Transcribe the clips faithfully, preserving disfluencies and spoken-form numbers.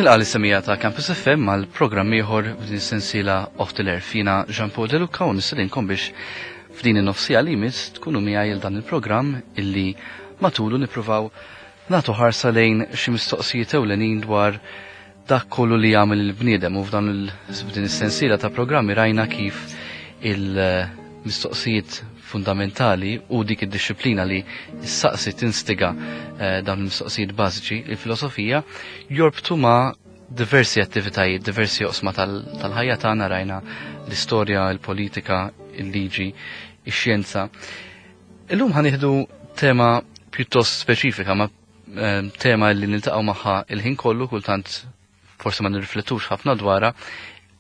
Nilqa l-semija ta' Campus F M għal programm ieħor f'din is-sensiela Off the Air. Fina Jean Paul De Luca u nistedinkom biex f'din in-nofsija li jmiss tkunu miegħi għal dan il-programm illi matulu nippruvaw nagħtu ħarsa lejn xi mistoqsijiet ewlenin dwar dak kollu li jagħmel il-bniedem, u f'dan il-, f'din is-sensiela ta' programmi rajna kif il-mistoqsijiet fundamentali u dik id-disciplina li s-saqsi tinstiga, eh, dawn il-mistoqsijiet bażiċi, il-filosofija, jorbtu ma' diversi attivitajiet, diversi oqsma tal-, tal-ħajja tagħna. Rajna l-istorja, il-politika, il-liġi, ix-xjenza. Illum ħanieħdu tema pjuttost speċifika, ma, eh, tema li niltaqgħu magħha il-ħin kollu, kultant forsi ma nirriflettux ħafna dwarha,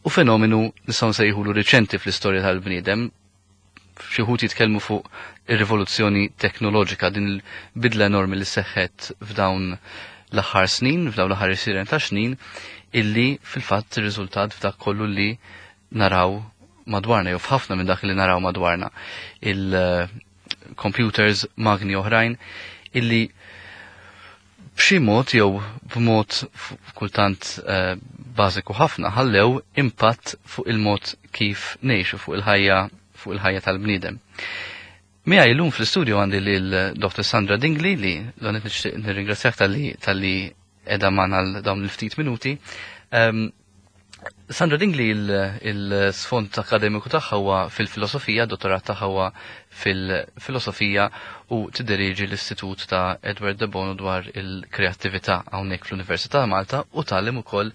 u fenomenu nistgħu nsejħulu riċenti fl-istorja tal-bniedem. Xi wħud jitkellmu fuq ir-rivoluzzjoni teknoloġika, din il-bidla enormi li seħħet f'dawn l-aħħar snin, f'dawn l-aħħar għexieren ta' snin, illi fil-fatt irriżultat f'dak kollu li naraw madwarna, jew f'ħafna minn dak li naraw madwarna. Il-computers, magni oħrajn, illi b'xi mod jew b'mod f-, kultant, eh, bażiku ħafna ħallew impatt fuq il-mod kif ngħixu, fuq il-ħajja, fuq il-ħajja tal-bniedem. Miegħi llum fl-istudio għandi lil Doctor Sandra Dingli, li l-għonet nixtieq nirringrazzjak tal-li, tal-li qiegħda magħna għal dawn il-ftit minuti. Ehm, Sandra Dingli il-, il-sfond akademiku tagħha huwa fil-filosofija, dottorat tagħha huwa fil-filosofija, u tidderieġi l-Istitut ta' Edward de Bono dwar il-kreattività hawnhekk fl-Università ta' Malta, u tgħallem ukoll,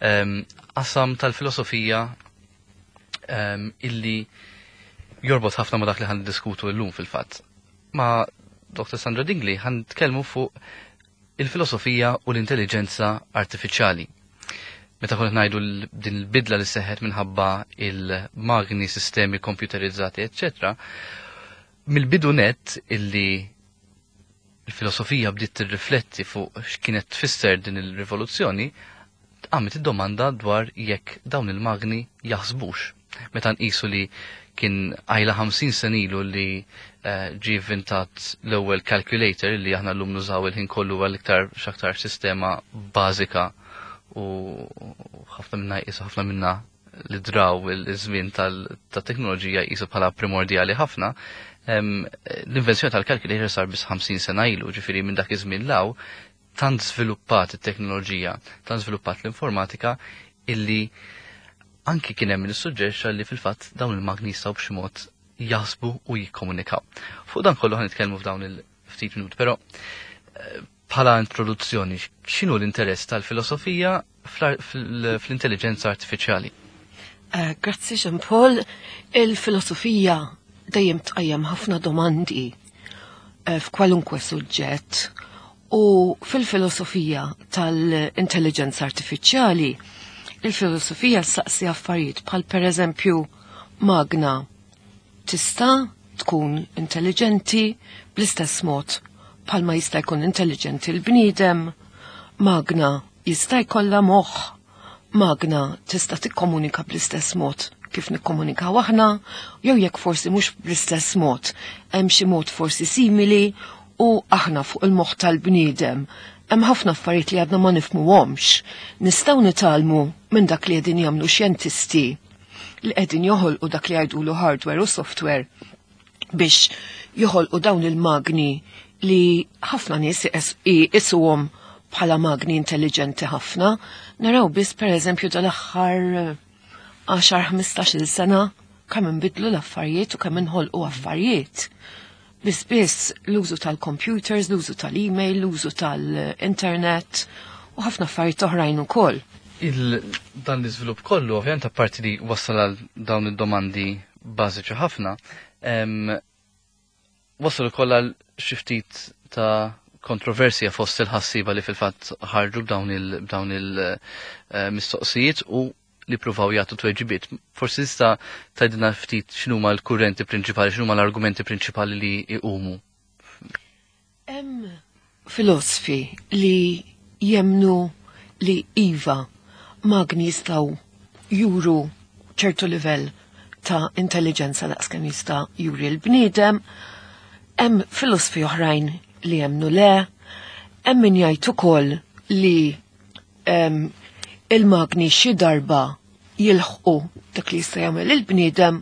ehm, qasam tal-filosofija, ehm, illi jorbot ħafna ma' dak li ħan diskutu llum fil-fatt. Ma' Doctor Sandra Dingli ħan nitkellmu fuq il-filosofija u l-intelligenza artifiċjali. Meta konna ngħidu l-, din il-bidla li seħħet minħabba il-magni, sistemi komputerizzati, eċċetera, mill-bidu net illi il-filosofija bdiet tirrifletti fuq x'kienet tfisser din il-rivoluzzjoni, qamet id-domanda dwar jekk dawn il-magni jaħsbux. Meta nqisu li kien għajla ħamsin sena ilu li, eh, ġie inventat l-ewwel calculator li aħna llum nużaw il-ħin kollu għal iktar x'aktar sistema bażika, u ħafna minna jqisu, ħafna minna li draw il-żmien tal-, tat-teknoloġija jqisu bħala primordjali ħafna. Em, l-invenzjoni tal-calculator sar biss ħamsin sena ilu, ġifieri minn dak iż-żmien law tant żviluppat it-teknoloġija, tant żviluppat l-informatika, illi anki kien hemm min issuġġerixxa li fil-fatt dawn il-magni jistgħu b'xi mod jaħsbu u jikkomunikaw. Fuq dan kollu ħanitkellmu f'dawn il-ftit minuti, però, eh, bħala introduzzjoni, x'inhu l-interess tal-filosofija fl-, fl-, fl-intelligenza artifiċjali? Eh, grazzi Jean Paul. Il-filosofija dejjem tqajjem ħafna domandi, eh, f'kwalunkwe suġġett, u fil-filosofija tal-intelligenza artifiċjali il-filosofija saqsi affarijiet bħal per eżempju magna tista' tkun intelligenti bl-istess mod bħalma jista' jkun intelligenti l-bniedem, magna jista' jkollha moħħ, magna tista' tikkomunika bl-istess mod kif nikkomunikaw aħna, jew jekk forsi mhux bl-istess mod, hemm xi mod forsi simili, u aħna fuq il-moħħ tal-bniedem hemm ħafna affarijiet li għadna ma nifhmuhomx. Nistgħu nitgħallmu minn dak li qegħdin jagħmlu xjentisti li qegħdin joħolqu dak li jgħidulu hardware u software biex joħolqu dawn il-magni li ħafna nies isuhom bħala magni intelligenti ħafna. Naraw biss per eżempju dal-aħħar għaxar ħmistax-il sena kemm inbidlu l-affarijiet u kemm inħolqu affarijiet. Biss biss l-użu tal-computers, l-użu tal-email, l-użu tal-internet u ħafna affarijiet oħrajn ukoll. Il-, dan l-iżvilupp kollu, ovvjament, apparti li wassal għal dawn id-domandi bażiċi ħafna, em, wassal ukoll għal xi ftit ta' kontroversja fost il-ħassiba li fil-fatt ħarġu b'dawn il-, b'dawn il-mistoqsijiet u li pruvaw jagħtu tweġibiet. Forsi tista' tgħidilna ftit x'inhuma l-kurrenti prinċipali, x'inhuma l-argumenti prinċipali li jqumu. Hemm filosofi li jemnu li iva magni jistgħu juru ċertu livell ta' intelligenza daqskemm jista' juri l-bniedem, hemm filosofi oħrajn li jemnu le, hemm min jgħid ukoll li, em, il-magni xi darba jilħqu dak li jista' jagħmel il-bniedem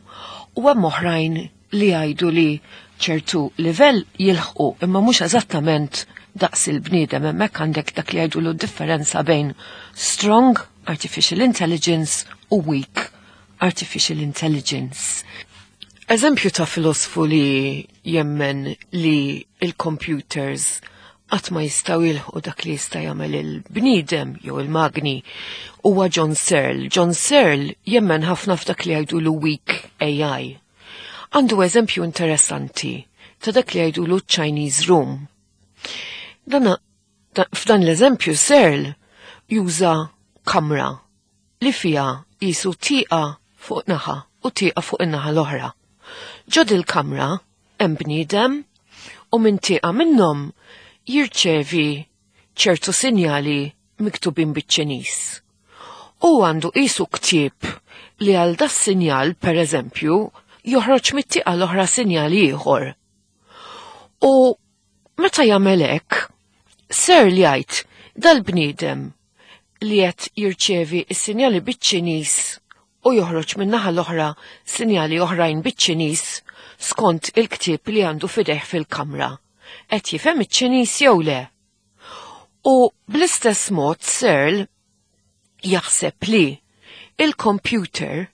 u hemm oħrajn li jgħidu li ċertu livell jilħqu imma mhux eżattament daqs il-bniedem. Hemmhekk għandek dak li jgħidu differenza bejn strong artificial intelligence u weak artificial intelligence. Eżempju ta' filosfu li jemmen li il-computers qatt ma jistgħu jilħqu dak li jista' jagħmel il-bniedem jew il-magni huwa John Searle. John Searle jemmen ħafna f'dak li jgħidulu weak A I. Għandu eżempju interessanti ta' dak li jgħidulu Chinese Room. Dana, da, f'dan l-eżempju Searle juża kamra li fija jisu tieqa fuq naħa u tieqa fuq in-naħa l-oħra. Ġo dil-kamra hemm bniedem u minn tieqa minnhom jirċevi ċertu sinjali miktubin biċ-Ċiniż. U għandu qisu ktieb li għal da sinjal, per eżempju, joħroġ mit-tieqa l-oħra sinjali ieħor. U meta jagħmel hekk, Searle jgħid dal-bniedem li qed jirċevi s-sinjali biċ-Ċiniż u joħroġ min-naħa l-oħra sinjali oħrajn biċ-Ċiniż skont il-ktieb li għandu f'idejh fil-kamra. Qed jifhem iċ-Ċiniż jew le? U bl-istess mod Searle jaħseb li il-computer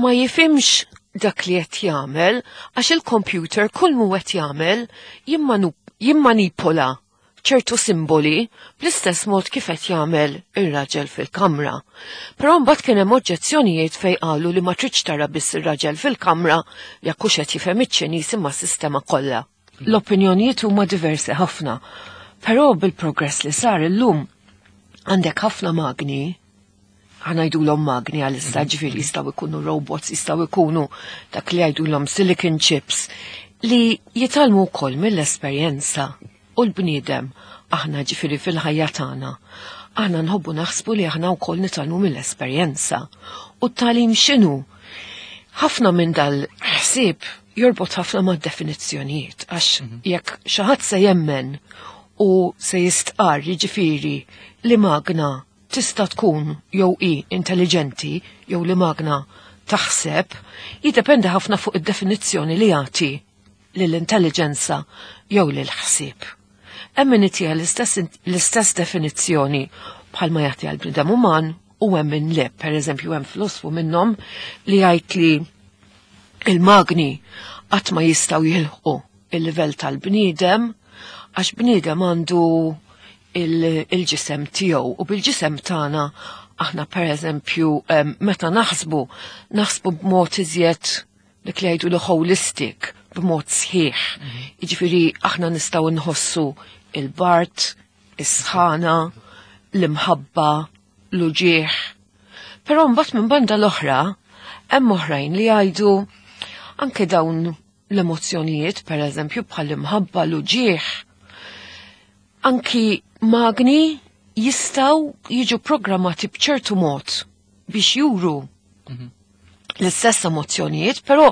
ma jifhimx dak li qed jagħmel għax il-computer kull mu qed jagħmel jimmanipola ċertu simboli bl-istess mod kif qed jagħmel ir-raġel fil-kamra. Però mbagħad kien hemm oġġezzjonijiet fejn qalu li ma tridx tara biss ir-raġel fil-kamra jekk hux qed jifhem iċ-Ċiniż imma s-sistema kollha. L-opinjonijiet huma diversi ħafna, però bil-progress li sar illum għandek ħafna magni, ħa ngħidulhom magni għal-issa, ġifieri jistgħu jkunu robots, jistgħu jkunu dak li jgħidulhom silicon chips, li jitgħallmu wkoll mill-esperjenza. U l-bniedem, aħna ġifieri fil-ħajja tagħna, aħna nħobbu naħsbu li aħna wkoll nitgħallmu mill-esperjenza. U t-tagħlim x'inhu? Ħafna minn dal-ħsieb jorbot ħafna ma' definizzjonijiet, għax mhm. jekk xi ħadd se jemmen u se jistqar jiġifieri li magna tista' tkun jew i intelligenti jew li magna taħseb, jiddependi ħafna fuq id-definizzjoni li jagħti lill-intelligenza jew lill-ħsieb. Hemm min itiha l-istess definizzjoni bħalma jagħti għal bniedem uman u hemm min le, per eżempju hemm filosfu minnhom li jgħid li il-magni qatt ma jistgħu jilħqu il-livell tal-bniedem għax bniedem għandu il-ġisem tiegħu u bil-ġisem tagħna aħna per eżempju meta naħsbu naħsbu b'mod iżjed dik li jgħidu l holistic, b'mod sħiħ. Mhm. Jiġifieri aħna nistgħu nħossu il-bard, is-sħana, l-imħabba, l-uġieħ. Però mbagħad minn banda l-oħra hemm oħrajn li jgħidu anke dawn l-emozzjonijiet, per eżempju bħal imħabba, l-uġieħ, anki magni jistgħu jiġu programmati b'ċertu mod biex juru mhm. l-istess emozzjonijiet, però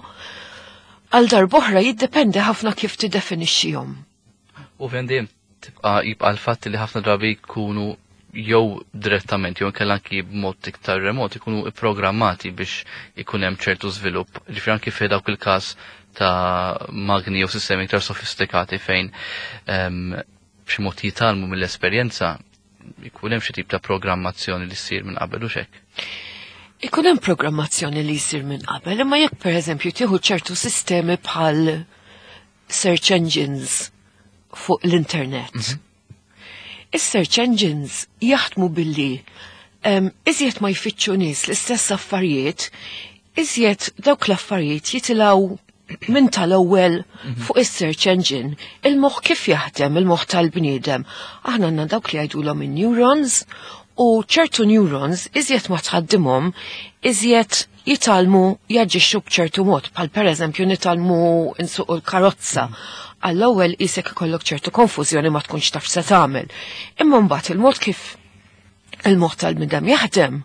għal darb'oħra jiddependi ħafna kif tiddefinixxihom. U vendim, tibqa' jibqa' l-fatt li ħafna drabi jkunu jew direttament jew inkella anki b'mod iktar remot ikunu ipprogrammati biex ikun hemm ċertu żvilupp. Ġifieri anki fi dawk il-każ ta' magni jew sistemi iktar sofistikati fejn ehm, b'xi mod jitgħallmu mill-esperjenza, ikun hemm xi tip ta' programmazzjoni li ssir minn qabel u xek. Ikun hemm programmazzjoni li jsir minn qabel, imma jekk pereżempju tieħu ċertu sistemi bħal search engines fuq l-internet. Mm -hmm. Is-search engines jaħdmu billi um, iżjed ma jfittxu nies l-istess affarijiet, iżjed dawk l-affarijiet jitilgħu minn tal-ewwel mhm. fuq is-search engine. Il-moħħ kif jaħdem, il-moħħ tal-bniedem? Aħna għandna dawk li jgħidulhom in-neurons u ċertu neurons iżjed ma tħaddimhom, iżjed jitgħallmu jaġixxu b'ċertu mod, bħal pereżempju nitgħallmu nsuqu l-karozza. Mhm għall-ewwel isek ikollok ċertu konfużjoni, ma tkunx taf se tagħmel. Imma mbagħad il-mod kif il-moħħ tal-bniedem jaħdem,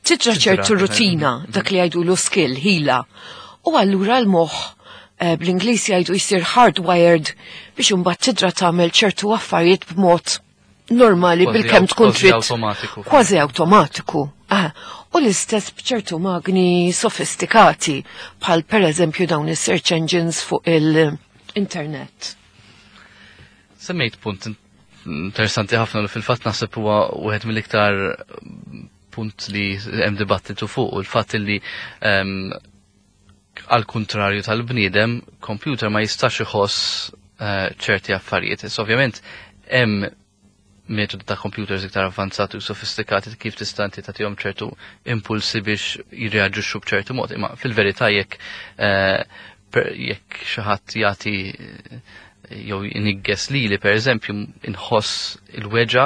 tidra ċertu rutina, dak li jgħidu skill, ħila. U allura l-moħħ eh, bl-Ingliż jgħidu jsir hardwired biex imbagħad tidra tagħmel ċertu affarijiet b'mod normali bilkemm tkun trid. Kważi awtomatiku. Kważi awtomatiku. Ah, u l-istess b'ċertu magni sofistikati bħal per eżempju dawn is-search engines fuq il-internet. Semmejt punt interessanti ħafna li fil-fatt naħseb huwa wieħed mill-iktar punt li hemm dibattitu fuq u l-fatt li ehm, għal kontrarju tal-bniedem, computer ma jistax iħoss eh, ċerti affarijiet. Issa ovvjament hemm metodi ta' computers iktar avvanzati u sofistikati kif tista' inti tagħtihom ċertu impulsi biex jirreaġixxu b'ċertu mod. Imma fil-verità jekk eh, jekk xi ħadd jagħti eh, jew inigges lili pereżempju inħoss il-weġa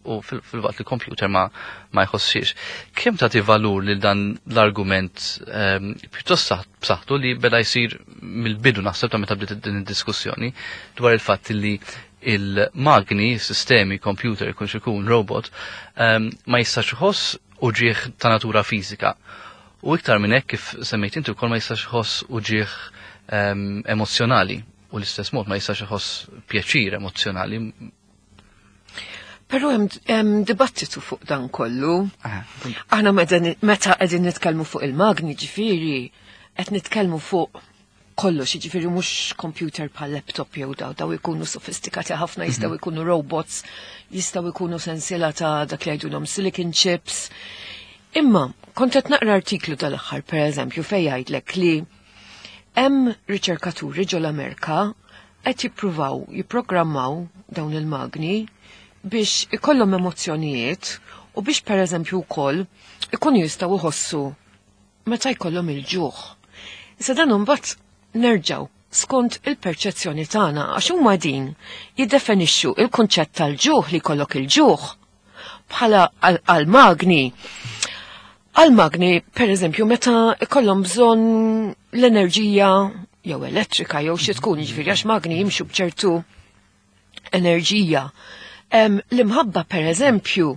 u fil-waqt li computer ma ma jħossix. Kemm tagħti valur lil dan l-argument ehm, pjuttost b'saħħtu li beda jsir mill-bidu naħseb ta' meta bdiet din id-diskussjoni dwar il-fatt li il-magni, sistemi, computer, ikun xikun, robot, um, ma jistax iħoss uġieħ ta' natura fiżika. U iktar minn hekk kif semmejt inti wkoll ma jistax iħoss uġieħ um, emozjonali u l-istess mod ma jistax iħoss pjaċir emozjonali. Però hemm dibattitu fuq dan kollu. Aħna meta qegħdin nitkellmu fuq il-magni ġifieri, qed nitkellmu fuq kollox, jiġifieri mhux computer bħal laptop jew daw, daw ikunu sofistikati ħafna, jistgħu mhm. ikunu robots, jistgħu ikunu sensiela ta' dak li jgħidulhom silicon chips. Imma kont qed naqra artiklu tal-aħħar pereżempju fejn jgħidlek li hemm riċerkaturi ġol-Amerika qed jippruvaw jipprogrammaw dawn il-magni biex ikollhom emozzjonijiet u biex pereżempju wkoll ikunu jistgħu jħossu meta jkollhom il-ġuħ. Issa dan imbagħad nerġgħu skont il-perċezzjoni tagħna għax huma din jiddefinixxu il-kunċett tal-ġuħ li jkollok il-ġuħ bħala għal-magni. Għal-magni, per eżempju, meta ikollhom bżonn l-enerġija jew elettrika jew xi tkun, jiġifieri għax magni jimxu b'ċertu enerġija. L-imħabba, per eżempju,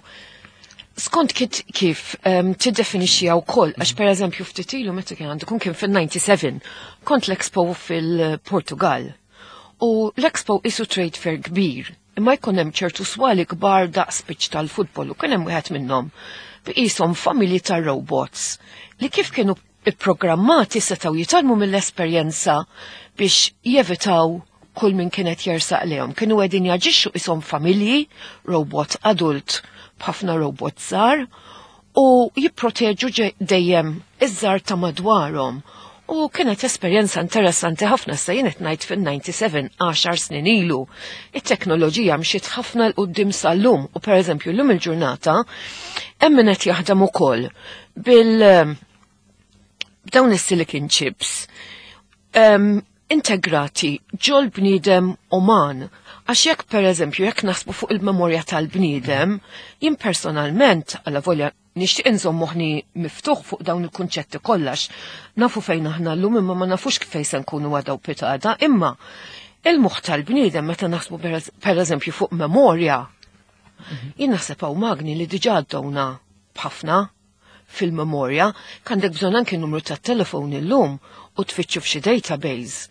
skont kif um, tiddefinixxiha wkoll, għax per eżempju ftit ilu meta kien għandu kien fil-disgħa u disgħin, kont l-Expo fil-Portugal. U l-Expo isu trade fair kbir, imma jkun hemm ċertu swali kbar daqs pitch tal-futbol u kien hemm wieħed minnhom b'qishom familji ta' robots li kif kienu ipprogrammati setgħu jitgħallmu mill-esperjenza biex jevitaw kull min kienet jersaq lejhom. Kienu qegħdin jaġixxu qishom familji, robot adult b'ħafna robot żgħar u jipproteġu dejjem iż-żgħar ta' madwarhom. U kienet esperjenza interessanti ħafna sa jien qed ngħid fil-disgħa u disgħin għaxar snin ilu. It-teknoloġija mxiet ħafna 'l quddiem sal-lum u pereżempju llum il-ġurnata hemm min qed jaħdem ukoll bil b'dawn is-silicon chips um, integrati ġol bniedem uman. Għax jekk per eżempju, jekk naħsbu fuq il-memorja tal-bniedem, jien personalment, għalla volja nixtieq inżomm moħħni miftuħ fuq dawn il-kunċetti kollax, nafu fejn aħna llum imma ma nafux kif fejn se nkunu għada u pitgħada, imma il-moħħ tal-bniedem meta naħsbu per eżempju fuq memorja, jien naħseb hawn magni li diġà għaddewna b'ħafna fil-memorja, għandek bżonn anke numru tat-telefon illum u tfittxu f'xi database.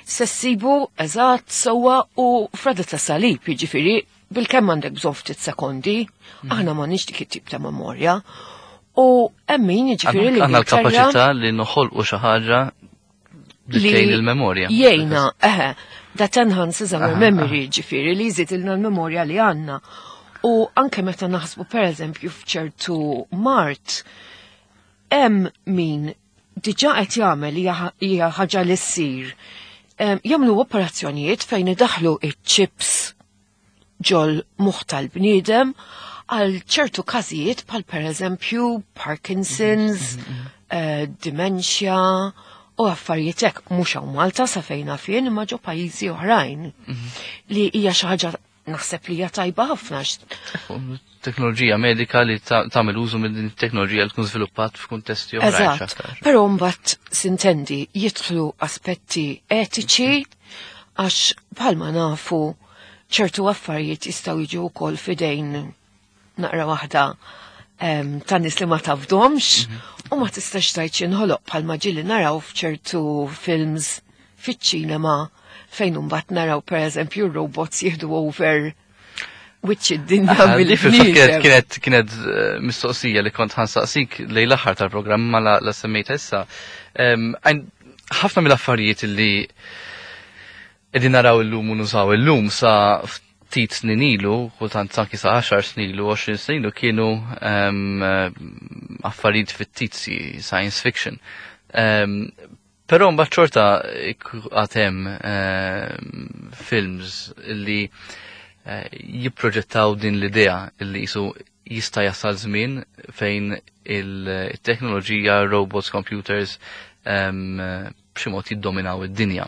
Se ssibu eżatt sewwa u frada ta' salib, jiġifieri bilkemm għandek bżonn ftit sekondi, mhm. aħna m'għandniex dik it-tip ta' memorja. U hemm min jiġifieri li għandna l-kapaċità li noħolqu xi ħaġa li tgħin il-memorja. Jgħinna, eħe, that enhances our memory, ġifieri li jżid ilna l-memorja li għandna. U anke meta naħsbu per eżempju f'ċertu mard, hemm min diġà qed jagħmel hija ħaġa li ssir. Jagħmlu operazzjonijiet fejn idaħlu iċ-chips ġol moħħ tal-bniedem għal ċertu każijiet bħal per eżempju Parkinson's, mm -hmm. uh, dementia u affarijiet hekk mhux hawn Malta sa fejn fien imma ġo pajjiżi oħrajn mm -hmm. li hija xi ħaġa naħseb li hija tajba ħafna. Teknoloġija medika li tagħmel użu minn din it-teknoloġija li tkun żviluppat f'kuntesti oħrajn. Eżatt. Però mbagħad sintendi jidħlu aspetti etiċi għax bħalma nafu ċertu affarijiet jistgħu jiġu wkoll fidejn naqra waħda ta' nies li ma tafdomx mhm. u ma tistax tgħid x'inħoloq bħalma ġieli naraw f'ċertu films fiċ-ċinema fejn imbagħad naraw pereżempju robots jieħdu over wiċċ id-dinja bil-bniedem. Kienet kienet eh, mistoqsija li kont ħa nsaqsik lejn l-aħħar tal-programm ma la, la semmejta issa. Ħafna mill-affarijiet li qegħdin naraw illum u nużaw illum sa ftit snin ilu, kultant anki sa għaxar snin ilu, għoxrin snin ilu kienu affarijiet fittizji, science fiction. Però mbagħad xorta għad hemm films li eh, jipproġettaw din l-idea li jisu jista' jasal żmien fejn il-teknoloġija, robots, computers, b'xi mod jiddominaw id-dinja.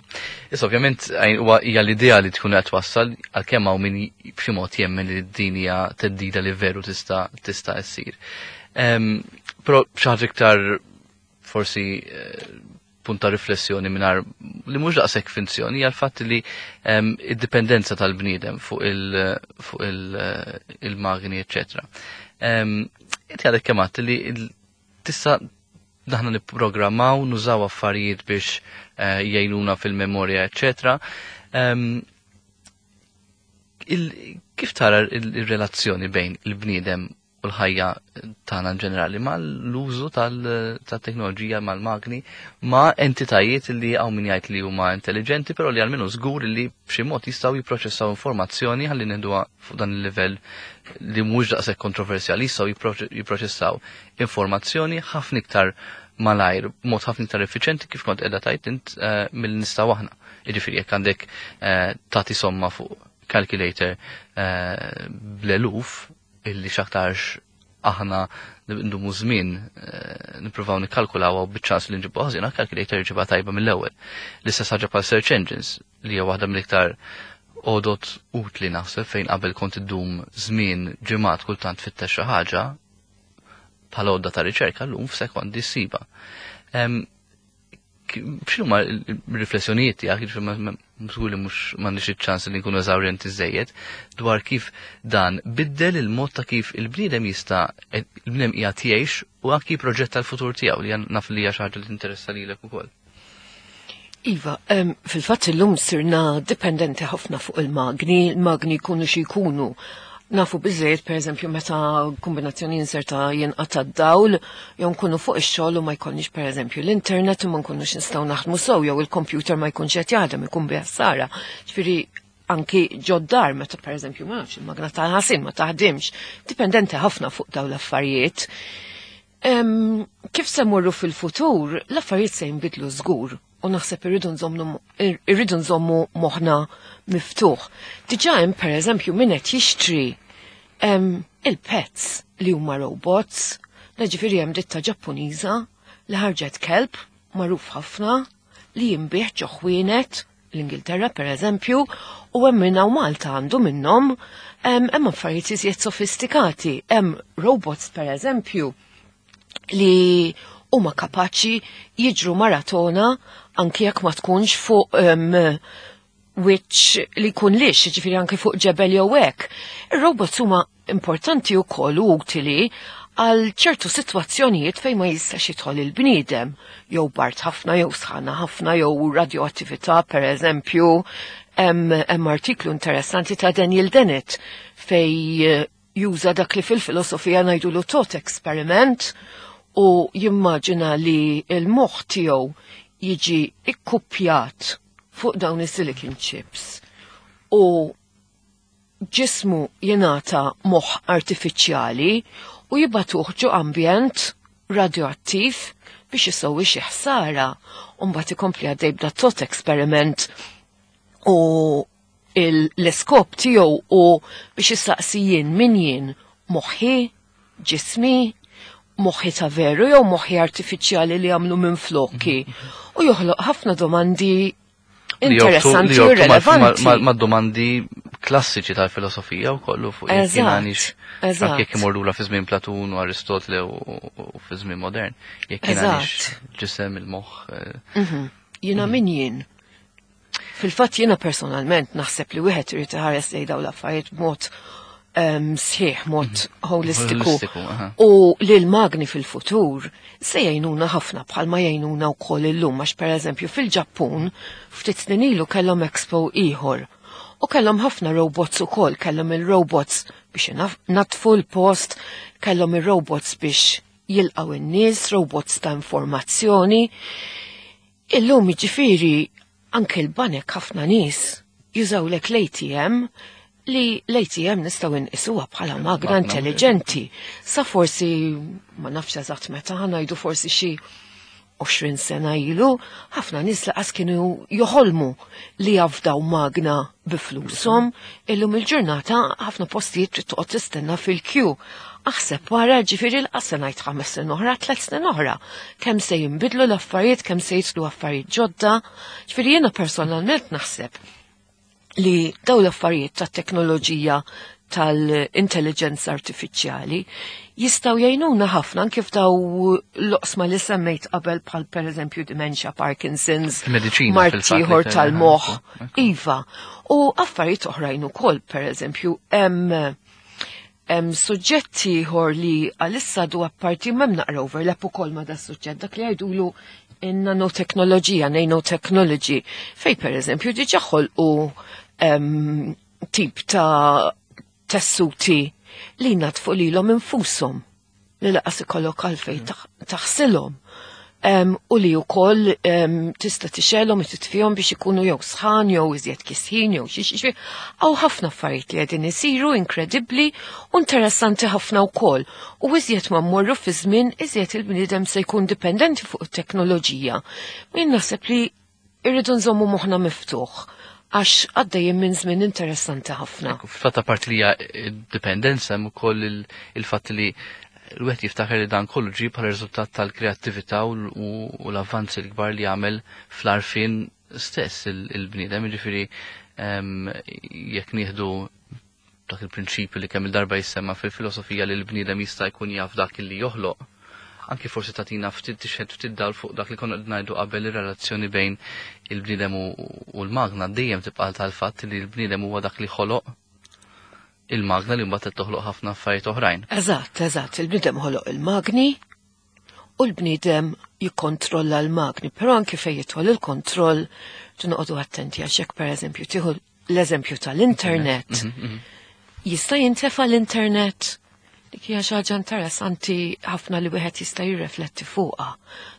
Issa ovvjament hija l-idea li tkun qed twassal, għalkemm hawn min b'xi mod jemmen li d-dinja theddida li veru tista' tista' ssir. Però xi ħaġa iktar forsi eh, punta riflessjoni mingħajr li mhux daqshekk finzjoni hija l-fatt li id-dipendenza tal-bniedem fuq il- il-magni, eċċetera. Inti għadek kemm li tista' daħna nipprogrammaw, nużaw affarijiet biex eh, jgħinuna fil-memorja, eċċetera. Kif tara il-relazzjoni bejn il-bniedem u l-ħajja tagħna ġenerali mal-użu tal-teknoloġija, mal-magni, ma' entitajiet li hawn min jgħid li huma intelligenti, però li għalmenu żgur li b'xi mod jistgħu jipproċessaw informazzjoni, ħalli neħduha fuq dan il-livell li mhux daqshekk kontroversjali, jistgħu jipproċessaw informazzjoni ħafna iktar malajr, mod ħafna iktar effiċenti, kif kont qiegħda tgħid int, eh, mill nistgħu aħna. Jiġifieri jekk għandek eh, tagħti somma fuq calculator eh, bl-eluf illi x'aktarx aħna ndumu żmien nippruvaw nikkalkulaw u biċ-ċans li nġibu ħażina, calculator ġiba tajba mill-ewwel. L-istess ħaġa bħal search engines, li hija waħda mill-iktar għodot utli naħseb, fejn qabel kont iddum żmien, ġimgħat kultant, fittex xi ħaġa bħala għodda ta' riċerka, llum f'sekondi ssiba. X'inhuma r-riflessjonijiet tiegħek, żgur li mhux m'għandix iċ-ċans li nkunu eżawrjenti żejjed, dwar kif dan biddel il-mod ta' kif il-bniedem jista' il-bniedem qiegħed jgħix u anki proġett tal-futur tiegħu, li naf li hija xi ħaġa li tinteressa lilek ukoll? Iva, fil-fatt illum sirna dipendenti ħafna fuq il-magni, il-magni jkunu xi jkunu. Nafu biżejjed, per eżempju, meta kombinazzjoni inserta jinqata' d-dawl, jew nkunu fuq ix-xogħol u ma jkollniex, per eżempju, l-internet u ma nkunux nistgħu naħdmu sew, jew il-computer ma jkunx qed jaħdem, ikun bi ħsara. Ġifieri anki ġod-dar meta, per eżempju, ma nafx, il-magna tal-ħasil ma taħdimx, dipendenti ħafna fuq dawn l-affarijiet. Kif se mmorru fil-futur, l-affarijiet se jinbidlu żgur u naħseb irridu nżommu irridu nżommu moħħna miftuħ. Diġà hemm, pereżempju, min qed jixtri il-pets li huma robots, ġifieri hemm ditta Ġappuniża li ħarġet kelb magħruf ħafna li jinbiegħ ġo ħwienet l-Ingilterra, per eżempju, u hemm minna u Malta għandu minnhom. Hemm affarijiet iżjed sofistikati, hemm robots, per eżempju, li huma kapaċi jiġru maratona anki jekk ma tkunx fuq um, wiċċ li jkun lix, ġifieri anki fuq ġebel jew hekk. Ir-robots huma importanti wkoll u utili għal ċertu sitwazzjonijiet fejn ma jistax jidħol il-bniedem, jew bard ħafna, jew sħana ħafna, jew radioattività, per eżempju. Hemm artiklu interessanti ta' Daniel Dennett fej eh, juża dak li fil-filosofija ngħidulu thought experiment u jimmaġina li il-moħħ tiegħu jiġi ikkupjat fuq dawn is-silicon chips u ġismu jingħata moħħ artifiċjali u jibagħtuh ġo ambjent radioattiv biex isewwi xi ħsara, u mbagħad ikompli għaddej b'da thought experiment u l-iskop tiegħu u biex jistaqsi: jien min jien, moħħi, ġismi, moħħi ta' veru jew moħħi artifiċjali li għamlu minn flokki? U joħloq ħafna domandi interessanti u relevanti. Ma' domandi klassiċi tal-filosofija u kollu fuq jekk għanix jekk imorru fi żmien Platun u Aristotele u fi żmien modern, jekk għanix ġisem, il-moħħ. Eh. Mhm. Jiena min jien? Fil-fatt jiena personalment naħseb li wieħed irid iħares lejn dawn l-affarijiet b'mod sħiħ, mod mhm. holistiku. U li l-magni fil-futur se jgħinuna ħafna bħalma jgħinuna wkoll illum, għax, pereżempju, fil-Ġappun ftit snin ilu kellhom expo ieħor. U kellhom ħafna robots ukoll, kellhom il-robots biex natfu l-post, kellhom il-robots biex jilqaw in-nies, robots ta' informazzjoni. Illum jiġifieri anke l-banek ħafna nies jużawlek l-A T M, li l-A T M nistgħu nqisuha bħala magna intelligenti. Sa forsi, ma nafx eżatt meta, ngħidu forsi xi għoxrin sena ilu, ħafna nies lanqas kienu joħolmu li jafdaw magna bi flushom. Illum il-ġurnata ħafna postijiet trid toqgħod tistenna fil-queue. Aħseb wara, ġifieri l-qassa ngħid ħames snin oħra, tliet snin oħra. Kemm se jinbidlu l-affarijiet, kemm se jidħlu affarijiet ġodda. Ġifieri jiena personalment naħseb li daw l-affarijiet ta' teknoloġija tal-intelligenza artifiċjali jistgħu jgħinuna ħafna kif daw l-oqsma li semmejt qabel, bħal per eżempju dementia, Parkinson's, mard ieħor tal-moħħ, iva. U affarijiet oħrajn ukoll, per eżempju, hemm hemm suġġetti ieħor li għalissa du apparti m'hemm naqra overlap ukoll ma' da suġġett, dak li jgħidulu in-nanoteknoloġija, nanotechnology, fej per eżempju diġà ħolqu tip ta' tessuti li natfu lilhom infushom, li lanqas ikollok għalfejn taħsilhom. Um, u li wkoll um, tista' tixgħelhom u titfihom biex ikunu jew sħan jew iżjed kisħin jew xi xi. Hawn ħafna affarijiet li qegħdin isiru inkredibbli u interessanti ħafna wkoll. U iżjed ma mmorru fi żmien, iżjed il-bniedem se jkun dipendenti fuq it-teknoloġija. Min naħseb li irridu nżommu moħħna miftuħ għax għaddejjem minn żmien interessanti ħafna. Fil-fatt parti li hija dipendenza, hemm ukoll il-fatt li l-wieħed jiftakar li dan kollu ġie bħala riżultat tal-kreattività u l-avvanzi l-kbar li għamel fl-għarfien stess il-bniedem, jiġifieri jekk nieħdu dak il-prinċipju li kemm il-darba jissemma fil-filosofija li l-bniedem jista' jkun jaf dak li joħloq, anki forsi tagħtina ftit tixhed ftit dal fuq dak li konna ngħidu qabel, ir-relazzjoni bejn il-bniedem u l-magna dejjem tibqa' tal-fatt li l-bniedem huwa dak li ħoloq il-magna li mbagħad toħloq ħafna affarijiet oħrajn. Eżatt, eżatt, il-bniedem ħoloq il-magni u l-bniedem jikkontrolla l-magni, però anki fejn jidħol il-kontroll noqogħdu attenti, għax jekk pereżempju tieħu l-eżempju tal-internet, mhm, mhm. jista' jintefa l-internet? Dik hija xi ħaġa interessanti ħafna li wieħed jista' jirrefletti fuqha.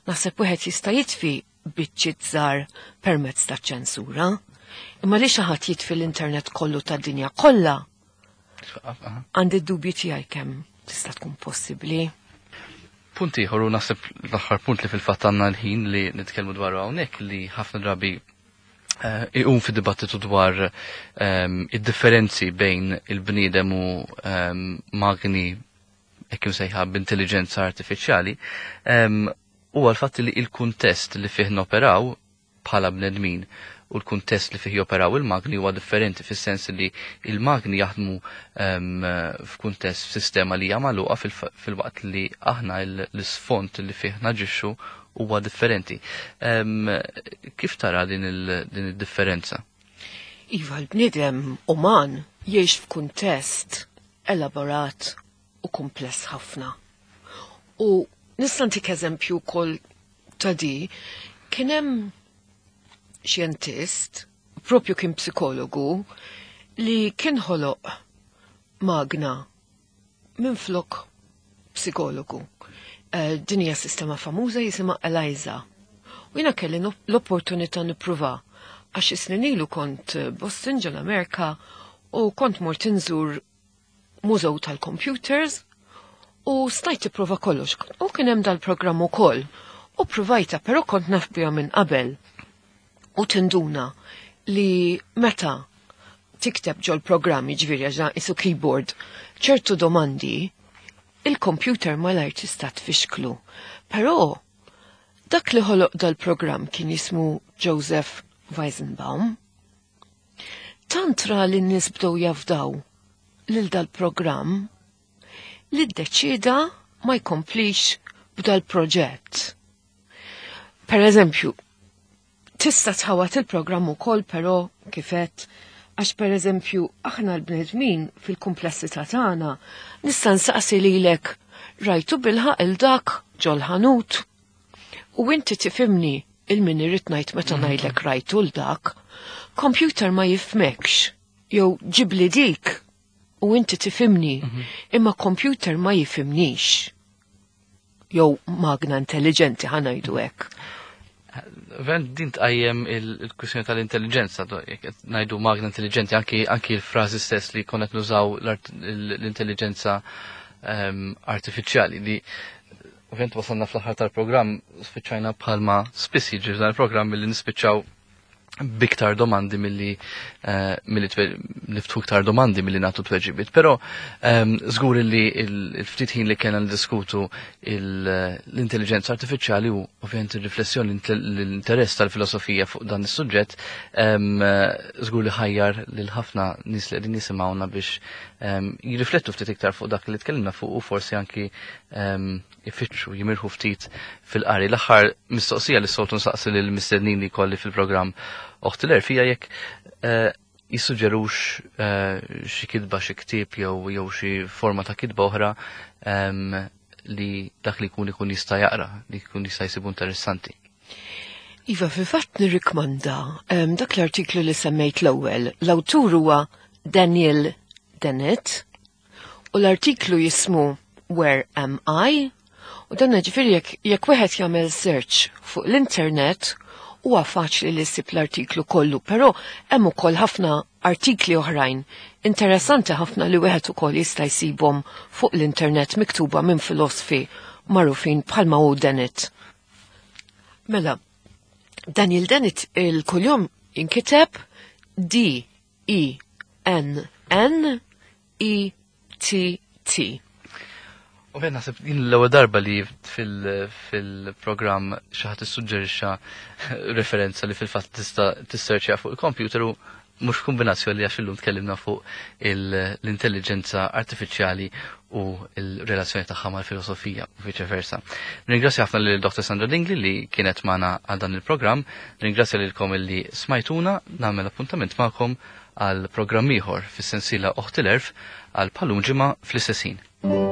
Naħseb wieħed jista' jitfi biċċiet żgħar permezz ta' ċensura. Imma li xi ħadd jitfi l-internet kollu tad-dinja kollha, għandi d-dubji tiegħi kemm tista' tkun possibbli. Punt ieħor, u naħseb l-aħħar punt li fil-fatt għandna l-ħin li nitkellmu dwaru hawnhekk, li ħafna drabi eh, iqum fi dibattitu dwar ehm, id-differenzi bejn il-bniedem u ehm, magni hekk imsejħa b'intelligenza artifiċjali, ehm, huwa l-fatt li il-kuntest li fih noperaw bħala bnedmin u l-kuntest li fih joperaw il-magni huwa differenti, fis-sens li il-magni jaħdmu um, f'kuntest, f'sistema li hija magħluqa, fil-waqt li aħna l-isfond li fih naġixxu huwa differenti. Um, kif tara din id-differenza? Iva, l-bniedem uman jgħix f'kuntest elaborat u kumpless ħafna. U nista' ntik eżempju wkoll ta' di, kien hemm xjentist, propju kien psikologu, li kien ħoloq magna minn flok psikologu. Uh, din hija sistema famuża jisimha Eliza. U jiena kelli l-opportunità nippruva għax snin ilu kont Boston ġol-Amerika u kont mort inżur mużew tal-computers u stajt tipprova kollox. U kien hemm dal-programm ukoll. U provajta, però kont naf biha minn qabel. U tinduna li meta tikteb ġol programm, ġifieri għax qisu keyboard, ċertu domandi, il-computer malajr tista' tfixklu. Però dak li ħoloq dal-programm kien jismu Joseph Weizenbaum. Tant ra li n-nies bdew jafdaw lil dal-programm li ddeċida ma jkomplix b'dal-proġett. Per eżempju, tista' tħawat il-programm ukoll, però kifet għax per eżempju aħna l-bnedmin fil-komplessità tagħna nista' nsaqsi lilek: "Rajtu bilħaqq 'il dak ġol-ħanut?" U inti tifhimni 'il min irrid ngħid meta mhm. ngħidlek rajtu 'l dak. Computer ma jifhmekx. Jew ġibli dik u inti tifhimni, mhm. imma computer ma jifhimnix. Jew magna intelligenti, ħa ngħidu hekk. Ven din tqajjem il-kwistjoni tal-intelligenza, ngħidu magna intelligenti, anki anki l-frażi stess li konna nużaw l-intelligenza ehm, artifiċjali li ovvjament wasalna fl-aħħar tal-programm, spiċċajna bħalma spiss jiġri f'dan il-programm milli nispiċċaw biktar domandi milli uh, milli niftħu iktar domandi milli nagħtu tweġibiet. Però um, żgur li il-ftit ħin li kellna ndiskutu l-intelligenza artifiċjali u ovvjament ir-riflessjoni, l-interess tal-filosofija fuq dan is-suġġett, um, żgur li ħajjar lil ħafna nies li qegħdin jisimgħuna biex um, jirriflettu ftit iktar fuq dak li tkellimna fuq u forsi anki um, ifittxu jimirħu ftit fil-qari. L-aħħar mistoqsija li soltu nsaqsi lil mistednin li kolli fil-programm Oħt l-Għerf hija jekk eh, jissuġġerux eh, xi kitba, xi ktieb jew jew xi forma ta' kitba oħra em, li dak li jkun ikun jista' jaqra, li jkun jista' jsibu interessanti. Iva, fil-fatt nirrikmanda um, dak l-artiklu li semmejt l-ewwel. L-awtur huwa Daniel Dennett u l-artiklu jismu "Where Am I?" U dan ġifieri jekk jekk wieħed jagħmel search fuq l-internet huwa faċli li ssib l-artiklu kollu, però hemm ukoll ħafna artikli oħrajn interessanti ħafna li wieħed ukoll jista' jsibhom fuq l-internet miktuba minn filosofi magħrufin bħalma hu Dennett. Mela, Daniel Dennett il-kuljum inkiteb D E N N E T T. U ben naħseb din l-ewwel darba li fil-programm xi ħadd issuġġerixxa referenza li fil-fatt tista' tisserċja fuq il-computer u mhux kombinazzjoni li għax illum tkellimna fuq l-intelligenza artifiċjali u l-relazzjoni tagħha mal-filosofija u viċe versa. Ringrazzja ħafna lil Doktor Sandra Dingli li kienet magħna għal dan il-programm, ringrazzja lilkom illi smajtuna, nagħmel appuntament magħkom għal programm ieħor fis-sensiela Oħt l-Għerf għal bħalum ġimgħa fl-istess ħin.